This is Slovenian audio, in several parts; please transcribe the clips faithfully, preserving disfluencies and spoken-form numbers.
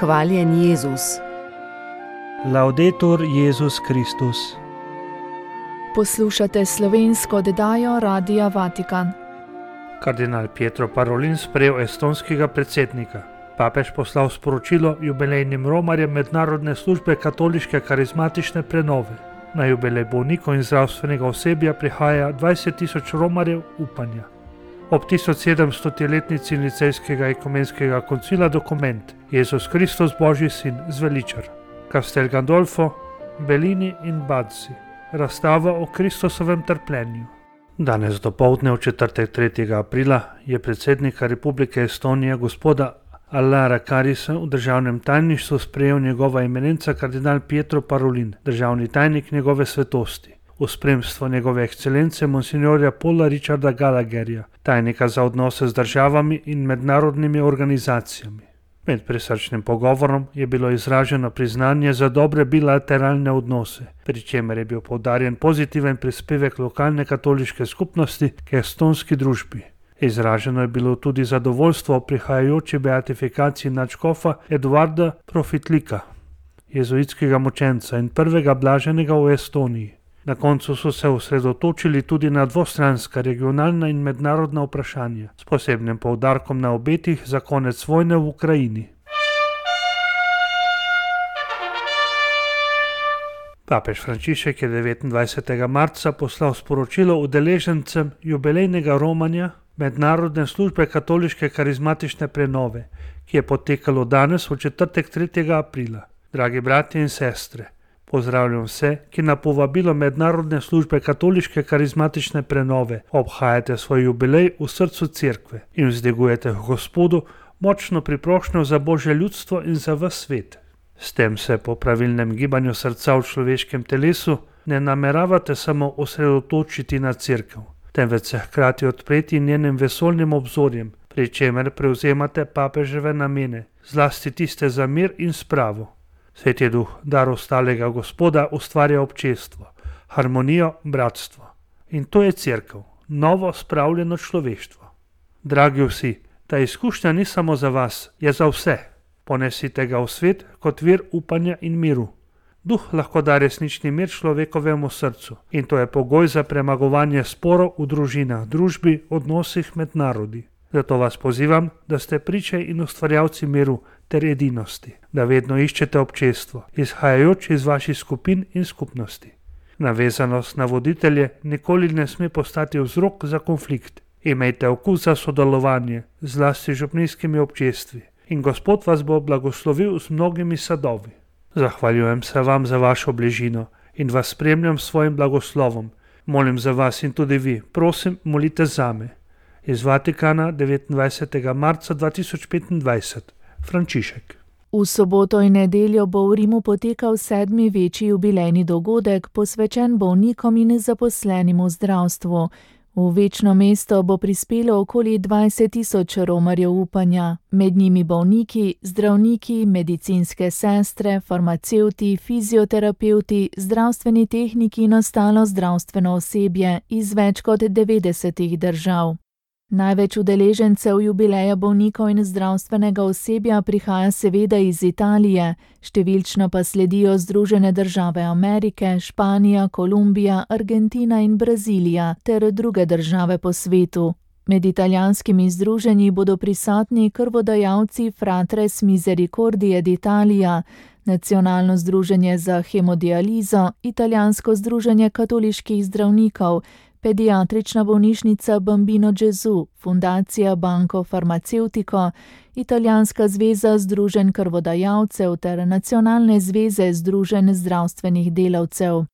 Hvaljen Jezus. Laudetur Jezus Kristus. Poslušate slovensko oddajo Radia Vatikan. Kardinal Pietro Parolin sprejel estonskega predsednika. Papež poslal sporočilo jubilejnim romarjem Mednarodne službe katoliške karizmatične prenove. Na jubilej bolnikov in zdravstvenega osebja prihaja dvajset tisoč romarjev upanja. Ob tisoč sedemstoletnici Nicejskega ekumenskega koncila dokument Jezus Kristus Božji sin zveličar. Castel Gandolfo, Bellini in Bazzi. Razstava o Kristusovem trpljenju. Danes dopoldne v četrtek tretjega aprila je predsednika Republike Estonije gospoda Allara Karisa v državnem tajništvu sprejel njegova eminenca kardinal Pietro Parolin, državni tajnik njegove svetosti, v spremstvu njegove ekscelence monsignorja Paula Richarda Gallagherja, tajnika za odnose z državami in mednarodnimi organizacijami. Med prisrčnim pogovorom je bilo izraženo priznanje za dobre bilateralne odnose, pri čemer je bil poudarjen pozitiven prispevek lokalne katoliške skupnosti k estonski družbi. Izraženo je bilo tudi zadovoljstvo o prihajajoči beatifikaciji nadškofa Eduarda Profitlika, jezuitskega mučenca in prvega blaženega v Estoniji. Na koncu so se osredotočili tudi na dvostranska, regionalna in mednarodna vprašanja, s posebnim poudarkom na obetih za konec vojne v Ukrajini. Papež Frančišek je devetindvajsetega marca poslal sporočilo udeležencem jubilejnega romanja Mednarodne službe katoliške karizmatične prenove, ki je potekalo danes v četrtek tretjega aprila. Dragi bratje in sestre, pozdravljam vse, ki na povabilo Mednarodne službe katoliške karizmatične prenove obhajate svoj jubilej v srcu cerkve in vzdigujete v Gospodu močno priprošnjo za Božje ljudstvo in za ves svet. S tem se po pravilnem gibanju srca v človeškem telesu ne nameravate samo osredotočiti na cerkev, temveč se hkrati odpreti njenim vesoljnim obzorjem, pri čemer prevzemate papeževe namene, zlasti tiste za mir in spravo. Sveti duh, dar ostalega Gospoda, ustvarja občestvo, harmonijo, bratstvo. In to je cerkev, novo spravljeno človeštvo. Dragi vsi, ta izkušnja ni samo za vas, je za vse. Ponesite ga v svet kot vir upanja in miru. Duh lahko da resnični mir človekovemu srcu in to je pogoj za premagovanje sporov v družinah, družbi, odnosih med narodi. Zato vas pozivam, da ste priče in ustvarjalci miru ter edinosti, da vedno iščete občestvo, izhajajoč iz vaših skupin in skupnosti. Navezanost na voditelje nikoli ne sme postati vzrok za konflikt. Imejte okus za sodelovanje, zlasti z župnijskimi občestvi, in Gospod vas bo blagoslovil z mnogimi sadovi. Zahvaljujem se vam za vašo bližino in vas spremljam s svojim blagoslovom. Molim za vas in tudi vi, prosim, molite zame. Iz Vatikana devetindvajsetega marca dva tisoč petindvajset. Frančišek. V soboto in nedeljo bo v Rimu potekal sedmi večji jubilejni dogodek, posvečen bolnikom in zaposlenim v zdravstvu. V večno mesto bo prispelo okoli dvajset tisoč romarjev upanja, med njimi bolniki, zdravniki, medicinske sestre, farmacevti, fizioterapevti, zdravstveni tehniki in ostalo zdravstveno osebje iz več kot devetdesetih držav. Največ udeležencev jubileja bolnikov in zdravstvenega osebja prihaja seveda iz Italije, številčno pa sledijo Združene države Amerike, Španija, Kolumbija, Argentina in Brazilija ter druge države po svetu. Med italijanskimi združenji bodo prisotni krvodajalci Fratres Misericordie d'Italia, Nacionalno združenje za hemodializo, Italijansko združenje katoliških zdravnikov, Pediatrična bolnišnica Bambino Gesù, Fundacija Banco Farmaceutico, Italijanska zveza združenj krvodajalcev ter Nacionalne zveze združenj zdravstvenih delavcev.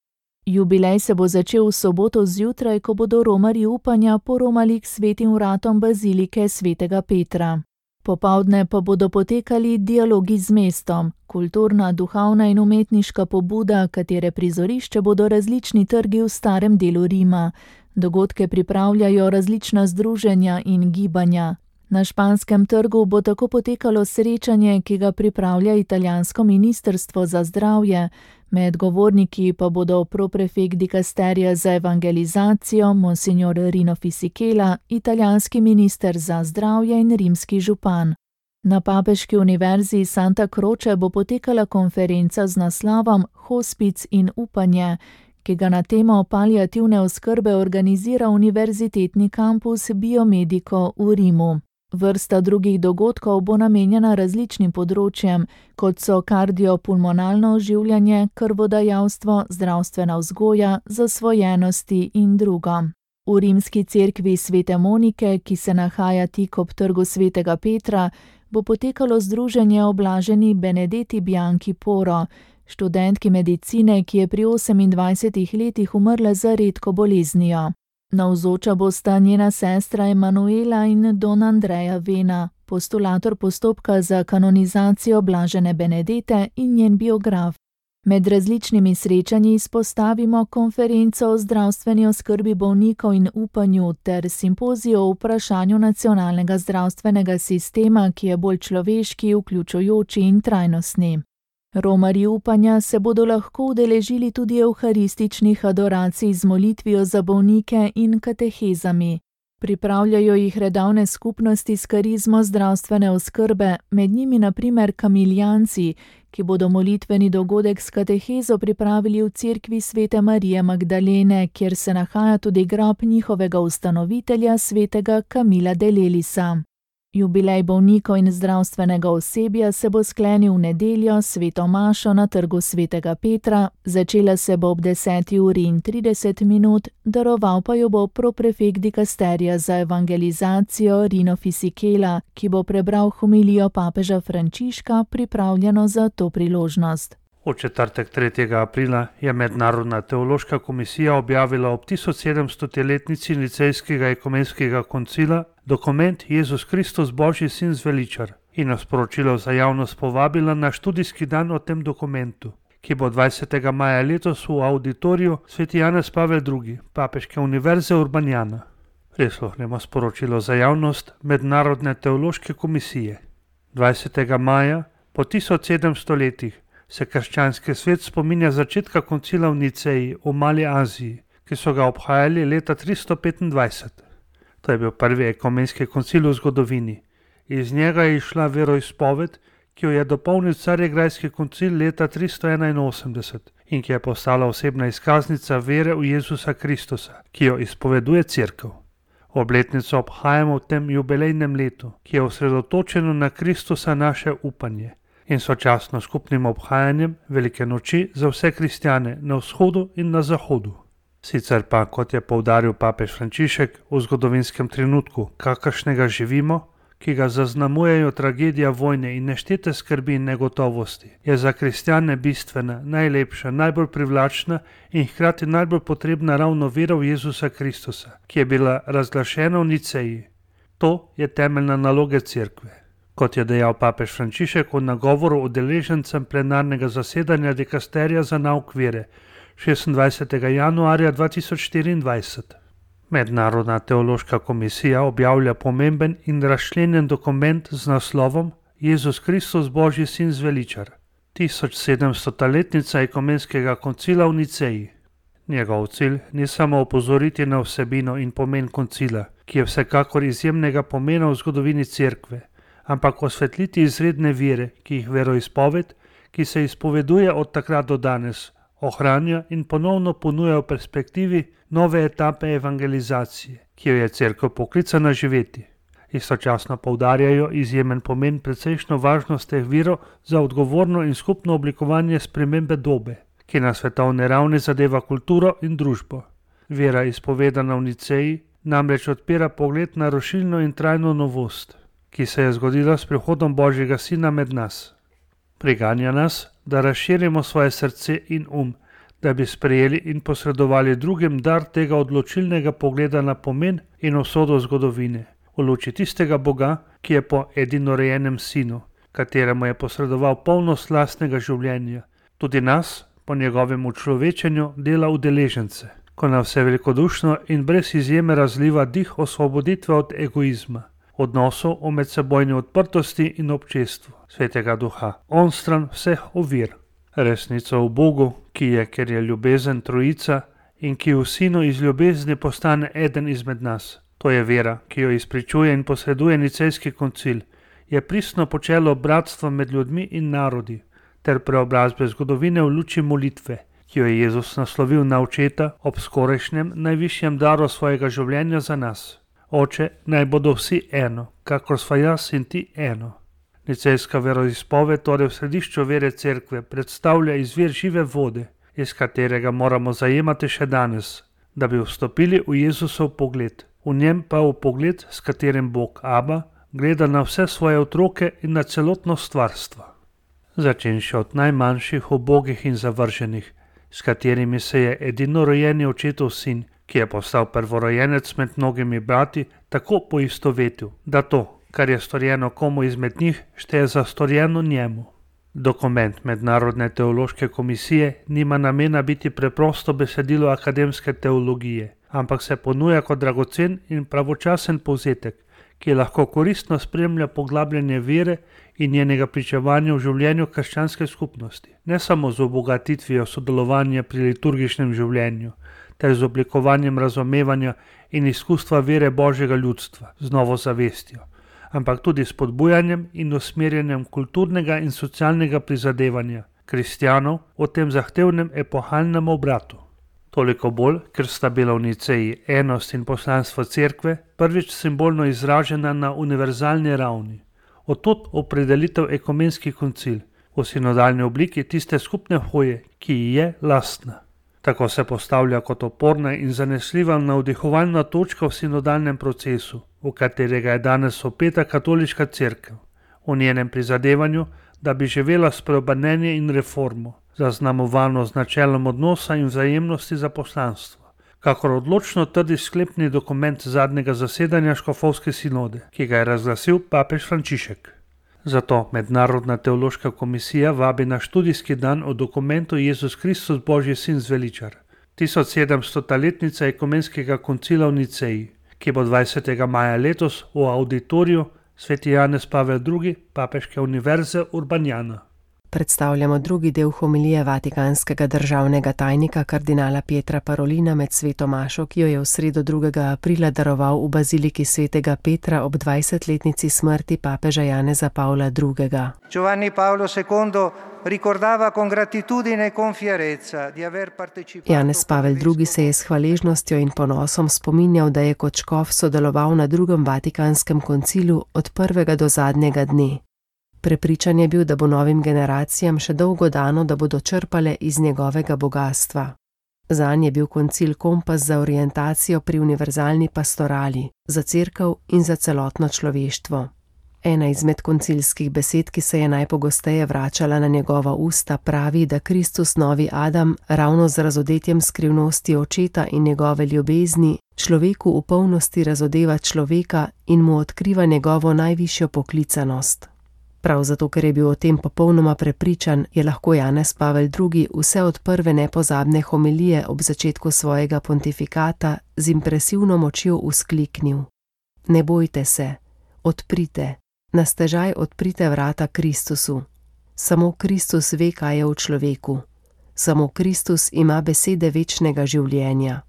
Jubilej se bo začel v soboto zjutraj, ko bodo romarji upanja poromali k svetim vratom bazilike svetega Petra. Popoldne pa bodo potekali dialogi z mestom, kulturna, duhovna in umetniška pobuda, katere prizorišče bodo različni trgi v starem delu Rima. Dogodke pripravljajo različna združenja in gibanja. Na Španskem trgu bo tako potekalo srečanje, ki ga pripravlja italijansko ministrstvo za zdravje. Med govorniki pa bodo proprefekt dikasterija za evangelizacijo, monsignor Rino Fisichella, italijanski minister za zdravje in rimski župan. Na Papeški univerzi Santa Croce bo potekala konferenca z naslovom Hospic in upanje, ki ga na temo paliativne oskrbe organizira Univerzitetni kampus Biomedico v Rimu. Vrsta drugih dogodkov bo namenjena različnim področjem, kot so kardiopulmonalno oživljanje, krvodajalstvo, zdravstvena vzgoja, zasvojenosti in drugo. V rimski cerkvi Svete Monike, ki se nahaja tik ob trgu Svetega Petra, bo potekalo združenje o blaženi Benedeti Bianchi Poro, študentki medicine, ki je pri osemindvajsetih letih umrla za redko boleznijo. Navzoča bosta njena sestra Emanuela in don Andreja Vena, postulator postopka za kanonizacijo blažene Benedete in njen biograf. Med različnimi srečanji izpostavimo konferenco o zdravstveni oskrbi bolnikov in upanju ter simpozijo o vprašanju nacionalnega zdravstvenega sistema, ki je bolj človeški, vključujoči in trajnostni. Romarji upanja se bodo lahko udeležili tudi evharističnih adoracij z molitvijo za bolnike in katehezami. Pripravljajo jih redovne skupnosti s karizmo zdravstvene oskrbe, med njimi na primer kamiljanci, ki bodo molitveni dogodek s katehezo pripravili v cerkvi Svete Marije Magdalene, kjer se nahaja tudi grob njihovega ustanovitelja svetega Kamila de Lelisa. Jubilej bolnikov in zdravstvenega osebja se bo sklenil v nedeljo s sveto mašo na trgu Svetega Petra, začela se bo ob deseti uri in trideset minut, daroval pa jo bo proprefekt dikasterija za evangelizacijo Rino Fisichella, ki bo prebral homilijo papeža Frančiška, pripravljeno za to priložnost. V četrtek tretjega aprila je Mednarodna teološka komisija objavila ob tisoč sedemstoletnici Nicejskega ekumenskega koncila dokument Jezus Kristus Božji sin zveličar in nas sporočilo za javnost povabila na študijski dan o tem dokumentu, ki bo dvajsetega maja letos v auditoriju Sveti Janez Pavel drugi, Papeške univerze Urbanjana. Prisluhnemo sporočilo za javnost Mednarodne teološke komisije. dvajsetega maja po tisoč sedemsto letih se krščanski svet spominja začetka koncila v Niceji v Mali Aziji, ki so ga obhajali leta tristo petindvajset. To je bil prvi ekumenski koncil v zgodovini. Iz njega je išla veroizpoved, ki jo je dopolnil Carigrajski koncil leta tristo enainosemdeset in ki je postala osebna izkaznica vere v Jezusa Kristusa, ki jo izpoveduje Cerkev. Obletnico obhajamo v tem jubilejnem letu, ki je osredotočeno na Kristusa naše upanje in sočasno skupnim obhajanjem velike noči za vse kristjane na vzhodu in na zahodu. Sicer pa, kot je poudaril papež Frančišek, v zgodovinskem trenutku, kakršnega živimo, ki ga zaznamujejo tragedija vojne in neštete skrbi in negotovosti, je za kristjane bistvena, najlepša, najbolj privlačna in hkrati najbolj potrebna ravno vera v Jezusa Kristusa, ki je bila razglašena v Niceji. To je temeljna naloga cerkve. Kot je dejal papež Frančišek v nagovoru udeležencem plenarnega zasedanja dikasterija za nauk vere šestindvajsetega januarja dva tisoč štiriindvajset. Mednarodna teološka komisija objavlja pomemben in razčlenjen dokument z naslovom Jezus Kristus Božji sin zveličar, tisoč sedemstota letnica ekumenskega koncila v Niceji. Njegov cilj ni samo opozoriti na vsebino in pomen koncila, ki je vsekakor izjemnega pomena v zgodovini cerkve, ampak osvetliti izredne vire, ki jih veroizpoved, ki se izpoveduje od takrat do danes, ohranja in ponovno ponuja v perspektivi nove etape evangelizacije, ki jo je cerkev poklicana živeti. Istočasno poudarjajo izjemen pomen precejšno važnost teh virov za odgovorno in skupno oblikovanje spremembe dobe, ki na svetovni ravni zadeva kulturo in družbo. Vera izpovedana v Niceji namreč odpira pogled na rušilno in trajno novost, ki se je zgodila s prihodom Božjega Sina med nas. Priganja nas, da razširimo svoje srce in um, da bi sprejeli in posredovali drugim dar tega odločilnega pogleda na pomen in usodo zgodovine, v luči tistega Boga, ki je po edinorojenem Sinu, kateremu je posredoval polnost lastnega življenja, tudi nas, po njegovem učlovečenju, dela udeležence, ko nam vse velikodušno in brez izjeme razliva dih osvoboditve od egoizma, odnosov o medsebojni odprtosti in občestvu Svetega Duha, onstran vseh ovir. Resnico v Bogu, ki je, ker je ljubezen trojica in ki v Sinu iz ljubezni postane eden izmed nas. To je vera, ki jo izpričuje in posreduje Nicejski koncil, je pristno počelo bratstva med ljudmi in narodi ter preobrazbe zgodovine v luči molitve, ki jo je Jezus naslovil na Očeta ob skorajšnjem najvišjem daru svojega življenja za nas. Oče, naj bodo vsi eno, kakor sva jaz in ti eno. Nicejska veroizpoved, torej v središču vere cerkve, predstavlja izvir žive vode, iz katerega moramo zajemati še danes, da bi vstopili v Jezusov pogled. V njem pa v pogled, s katerim Bog Aba gleda na vse svoje otroke in na celotno stvarstvo. Začenši od najmanjših, ubogih in zavrženih, s katerimi se je edinorojeni Očetov sin, ki je postal prvorojenec med mnogimi brati, tako poistovetil, da to, kar je storjeno komu izmed njih, šteje za storjeno njemu. Dokument Mednarodne teološke komisije nima namena biti preprosto besedilo akademske teologije, ampak se ponuja kot dragocen in pravočasen povzetek, ki lahko koristno spremlja poglabljanje vere in njenega pričevanja v življenju krščanske skupnosti, ne samo z obogatitvijo sodelovanja pri liturgičnem življenju, ter z oblikovanjem razumevanja in izkustva vere Božjega ljudstva z novo zavestjo, ampak tudi s spodbujanjem in usmerjanjem kulturnega in socialnega prizadevanja kristjanov v tem zahtevnem epohalnem obratu. Toliko bolj, ker sta bila v Niceji enost in poslanstvo cerkve prvič simbolno izražena na univerzalni ravni. Odtod opredelitev ekumenski koncil v sinodalni obliki tiste skupne hoje, ki ji je lastna. Tako se postavlja kot oporna in zanesljiva navdihovalna točka v sinodalnem procesu, v katerega je danes opeta katoliška cerkev, v njenem prizadevanju, da bi živela spreobrnenje in reformo, zaznamovano z načelom odnosa in vzajemnosti za poslanstvo, kakor odločno trdi sklepni dokument zadnjega zasedanja škofovske sinode, ki ga je razglasil papež Frančišek. Zato Mednarodna teološka komisija vabi na študijski dan o dokumentu Jezus Kristus Božji sin zveličar, tisoč sedemstoletnica ekumenskega koncila v Niceji, ki bo dvajsetega maja letos v auditoriju Sveti Janez Pavel drugi Papeške univerze Urbanjana. Predstavljamo drugi del homilije vatikanskega državnega tajnika kardinala Pietra Parolina med sveto mašo, ki jo je v sredo drugega aprila daroval v baziliki svetega Petra ob dvajsetletnici smrti papeža Janeza Pavla drugega. Giovanni Paolo secondo ricordava con gratitudine e con fierezza di aver partecipato. Janez Pavel drugi se je s hvaležnostjo in ponosom spominjal, da je kot škof sodeloval na drugem vatikanskem koncilu od prvega do zadnjega dne. Prepričan je bil, da bo novim generacijam še dolgo dano, da bodo črpale iz njegovega bogastva. Zanj je bil koncil kompas za orientacijo pri univerzalni pastorali, za cerkev in za celotno človeštvo. Ena izmed koncilskih besed, ki se je najpogosteje vračala na njegova usta, pravi, da Kristus novi Adam ravno z razodetjem skrivnosti Očeta in njegove ljubezni človeku v polnosti razodeva človeka in mu odkriva njegovo najvišjo poklicanost. Prav zato, ker je bil o tem popolnoma prepričan, je lahko Janez Pavel drugi vse od prve nepozabne homilije ob začetku svojega pontifikata z impresivno močjo vzkliknil: Ne bojte se, odprite, na stežaj odprite vrata Kristusu. Samo Kristus ve, kaj je v človeku. Samo Kristus ima besede večnega življenja.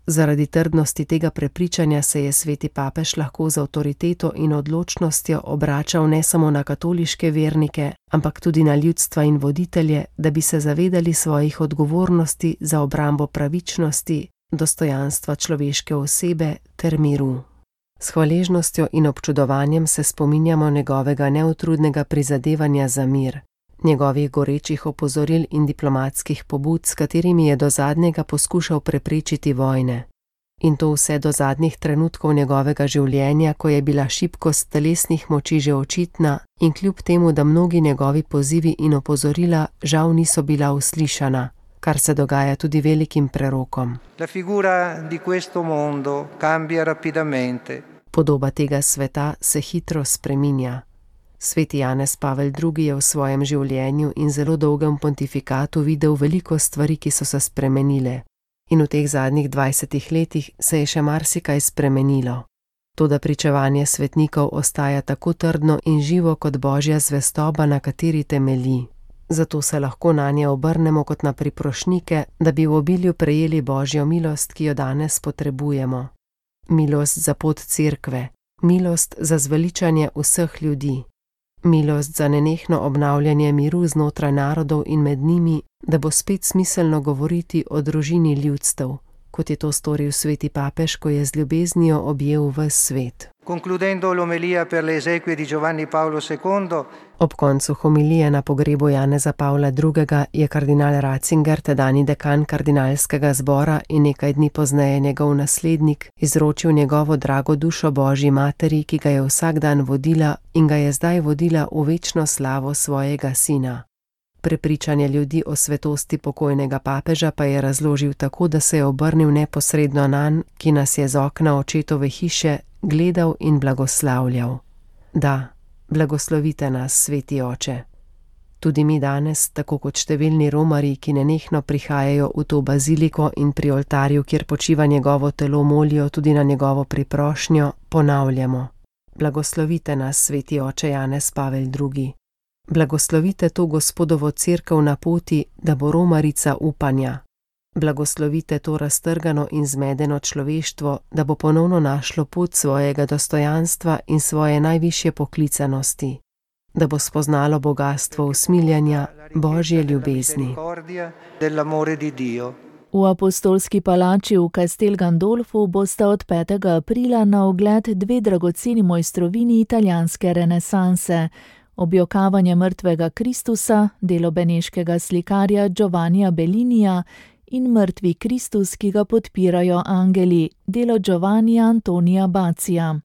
Zaradi trdnosti tega prepričanja se je sveti papež lahko z avtoriteto in odločnostjo obračal ne samo na katoliške vernike, ampak tudi na ljudstva in voditelje, da bi se zavedali svojih odgovornosti za obrambo pravičnosti, dostojanstva človeške osebe ter miru. S hvaležnostjo in občudovanjem se spominjamo njegovega neutrudnega prizadevanja za mir, njegovih gorečih opozoril in diplomatskih pobud, s katerimi je do zadnjega poskušal preprečiti vojne. In to vse do zadnjih trenutkov njegovega življenja, ko je bila šibkost telesnih moči že očitna in kljub temu, da mnogi njegovi pozivi in opozorila žal niso bila uslišana, kar se dogaja tudi velikim prerokom. La figura di questo mondo cambia rapidamente. Podoba tega sveta se hitro spreminja. Sveti Janez Pavel drugi je v svojem življenju in zelo dolgem pontifikatu videl veliko stvari, ki so se spremenile. In v teh zadnjih dvajsetih letih se je še marsikaj spremenilo. Toda pričevanje svetnikov ostaja tako trdno in živo kot Božja zvestoba, na kateri temelji. Zato se lahko nanje obrnemo kot na priprošnike, da bi v obilju prejeli Božjo milost, ki jo danes potrebujemo. Milost za pot cerkve, milost za zveličanje vseh ljudi, milost za nenehno obnavljanje miru znotraj narodov in med njimi, da bo spet smiselno govoriti o družini ljudstev, kot je to storil sveti papež, ko je z ljubeznijo objel ves svet. Concludendo l'omelia per le esequie di Giovanni Paolo secondo, Ob koncu homilije na pogrebu Janeza Pavla drugega. je kardinal Ratzinger, tedajni dekan kardinalskega zbora in nekaj dni pozneje njegov naslednik, izročil njegovo drago dušo Božji materi, ki ga je vsak dan vodila in ga je zdaj vodila v večno slavo svojega sina. Prepričanje ljudi o svetosti pokojnega papeža pa je razložil tako, da se je obrnil neposredno nanj, ki nas je z okna očetove hiše gledal in blagoslavljal. Da, blagoslovite nas, sveti oče. Tudi mi danes, tako kot številni romarji, ki nenehno prihajajo v to baziliko in pri oltarju, kjer počiva njegovo telo, molijo tudi na njegovo priprošnjo, ponavljamo: blagoslovite nas, sveti oče Janez Pavel drugi. Blagoslovite to Gospodovo cerkev na poti, da bo romarica upanja. Blagoslovite to raztrgano in zmedeno človeštvo, da bo ponovno našlo pot svojega dostojanstva in svoje najvišje poklicanosti, da bo spoznalo bogastvo usmiljanja Božje ljubezni. V apostolski palači v Castel Gandolfu bosta od petega aprila na ogled dve dragoceni mojstrovini italijanske renesanse: Objokavanje mrtvega Kristusa, delo beneškega slikarja Giovannija Bellinija, in Mrtvi Kristus, ki ga podpirajo angeli, delo Giovannija Antonija Bacija.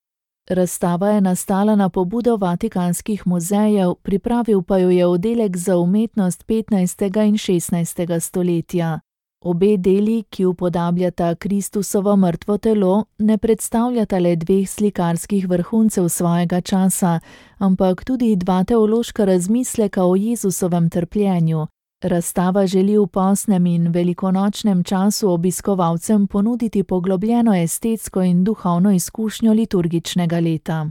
Razstava je nastala na pobudo vatikanskih muzejev, pripravil pa jo je oddelek za umetnost petnajstega in šestnajstega stoletja. Obe deli, ki upodabljata Kristusovo mrtvo telo, ne predstavljata le dveh slikarskih vrhuncev svojega časa, ampak tudi dva teološka razmisleka o Jezusovem trpljenju. Razstava želi v postnem in velikonočnem času obiskovalcem ponuditi poglobljeno estetsko in duhovno izkušnjo liturgičnega leta.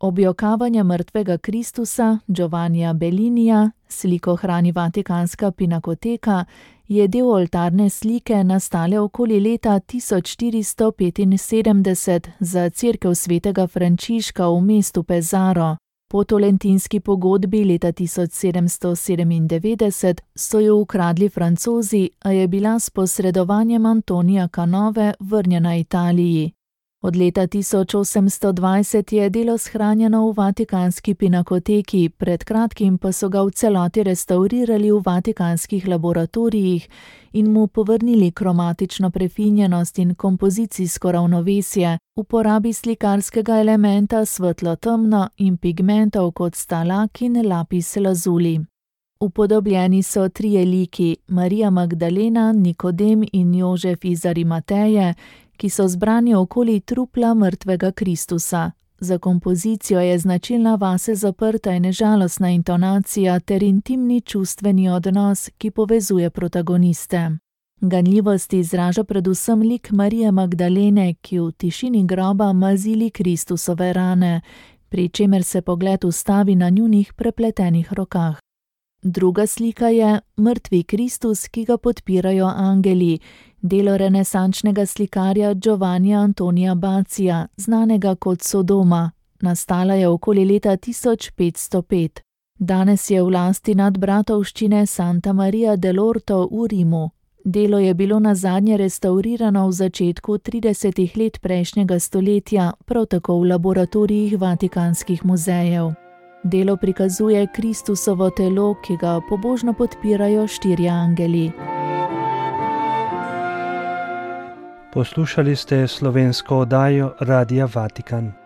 Objokavanje mrtvega Kristusa Giovannija Bellinija, sliko hrani Vatikanska pinakoteka, je del oltarne slike nastale okoli leta tisoč štiristo petinsedemdeset za cerkev svetega Frančiška v mestu Pesaro. Po tolentinski pogodbi leta tisoč sedemsto sedemindevetdeset so jo ukradli Francozi, a je bila s posredovanjem Antonija Canove vrnjena Italiji. Od leta tisoč osemsto dvajset je delo shranjeno v Vatikanski pinakoteki, pred kratkim pa so ga v celoti restavrirali v vatikanskih laboratorijih in mu povrnili kromatično prefinjenost in kompozicijsko ravnovesje, uporabi slikarskega elementa svetlo-temno in pigmentov kot sta lak in lapis lazuli. Upodobljeni so trije liki, Marija Magdalena, Nikodem in Jožef iz Arimateje, ki so zbrani okoli trupla mrtvega Kristusa. Za kompozicijo je značilna vase zaprta in žalostna intonacija ter intimni čustveni odnos, ki povezuje protagoniste. Ganljivost izraža predvsem lik Marije Magdalene, ki v tišini groba mazili Kristusove rane, pri čemer se pogled ustavi na njunih prepletenih rokah. Druga slika je Mrtvi Kristus, ki ga podpirajo angeli, delo renesančnega slikarja Giovannija Antonija Bacija, znanega kot Sodoma. Nastala je okoli leta tisoč petsto pet. Danes je v lasti nadbratovščine Santa Maria dell'Orto v Rimu. Delo je bilo nazadnje restavrirano v začetku tridesetih let prejšnjega stoletja, prav tako v laboratorijih vatikanskih muzejev. Delo prikazuje Kristusovo telo, ki ga pobožno podpirajo štirje angeli. Poslušali ste slovensko oddajo Radia Vatikan.